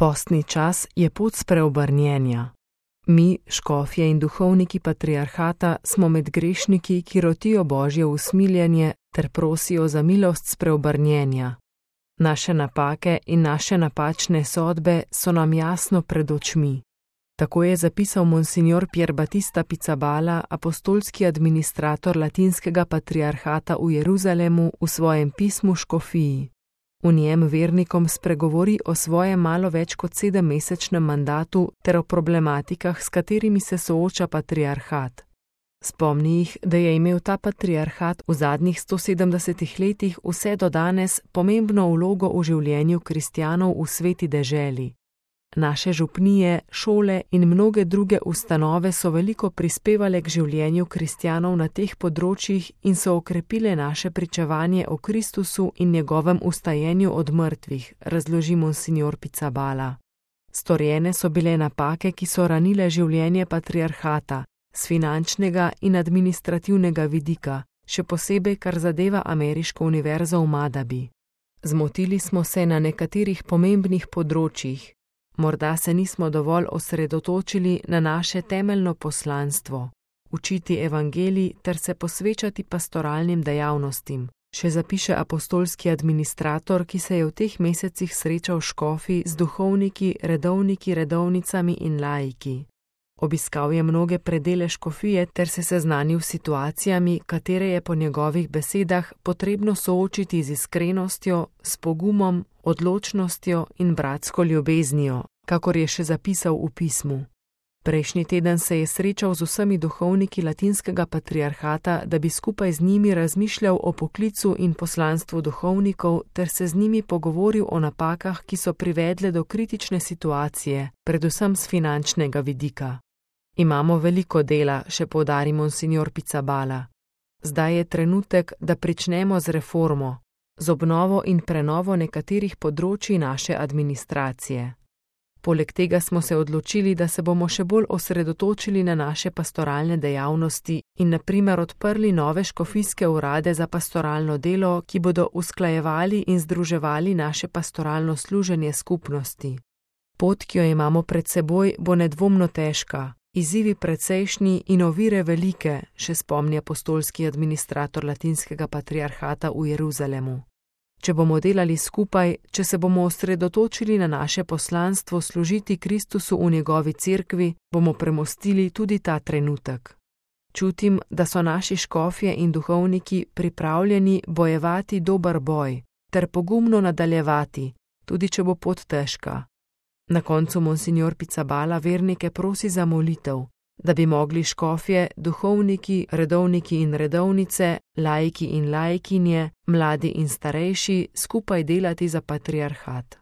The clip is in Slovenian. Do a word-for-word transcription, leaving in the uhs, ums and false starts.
Postni čas je pot spreobrnjenja. Mi, škofje in duhovniki patriarhata, smo med grešniki, ki rotijo Božje usmiljenje ter prosijo za milost spreobrnjenja. Naše napake in naše napačne sodbe so nam jasno pred očmi. Tako je zapisal monsignor Pier Battista Pizzaballa, apostolski administrator latinskega patriarhata v Jeruzalemu, v svojem pismu škofiji. V njem vernikom spregovori o svojem malo več kot sedemmesečnem mandatu ter o problematikah, s katerimi se sooča patriarhat. Spomni jih, da je imel ta patriarhat v zadnjih sto sedemdesetih letih vse do danes pomembno vlogo v življenju kristjanov v sveti deželi. Naše župnije, šole in mnoge druge ustanove so veliko prispevale k življenju kristjanov na teh področjih in so okrepile naše pričevanje o Kristusu in njegovem vstajenju od mrtvih, razloži monsignor Pizzaballa. Storjene so bile napake, ki so ranile življenje patriarhata, s finančnega in administrativnega vidika, še posebej kar zadeva ameriško univerzo v Madabi. Zmotili smo se na nekaterih pomembnih področjih. Morda se nismo dovolj osredotočili na naše temeljno poslanstvo, učiti evangelij ter se posvečati pastoralnim dejavnostim, še zapiše apostolski administrator, ki se je v teh mesecih srečal škofi z duhovniki, redovniki, redovnicami in laiki. Obiskal je mnoge predele škofije ter se seznanil s situacijami, katere je po njegovih besedah potrebno soočiti z iskrenostjo, s pogumom, odločnostjo in bratsko ljubeznijo, kakor je še zapisal v pismu. Prejšnji teden se je srečal z vsemi duhovniki latinskega patriarhata, da bi skupaj z njimi razmišljal o poklicu in poslanstvu duhovnikov ter se z njimi pogovoril o napakah, ki so privedle do kritične situacije, predvsem z finančnega vidika. Imamo veliko dela, še poudari monsignor Pizzaballa. Zdaj je trenutek, da pričnemo z reformo, z obnovo in prenovo nekaterih področij naše administracije. Poleg tega smo se odločili, da se bomo še bolj osredotočili na naše pastoralne dejavnosti in na primer odprli nove škofijske urade za pastoralno delo, ki bodo usklajevali in združevali naše pastoralno služenje skupnosti. Pot, ki jo imamo pred seboj, bo nedvomno težka, izzivi precejšnji in ovire velike, še spomni apostolski administrator latinskega patriarhata v Jeruzalemu. Če bomo delali skupaj, če se bomo osredotočili na naše poslanstvo služiti Kristusu v njegovi cerkvi, bomo premostili tudi ta trenutek. Čutim, da so naši škofje in duhovniki pripravljeni bojevati dober boj ter pogumno nadaljevati, tudi če bo pot težka. Na koncu monsignor Pizzaballa vernike prosi za molitev, da bi mogli škofje, duhovniki, redovniki in redovnice, laiki in laikinje, mladi in starejši skupaj delati za patriarhat.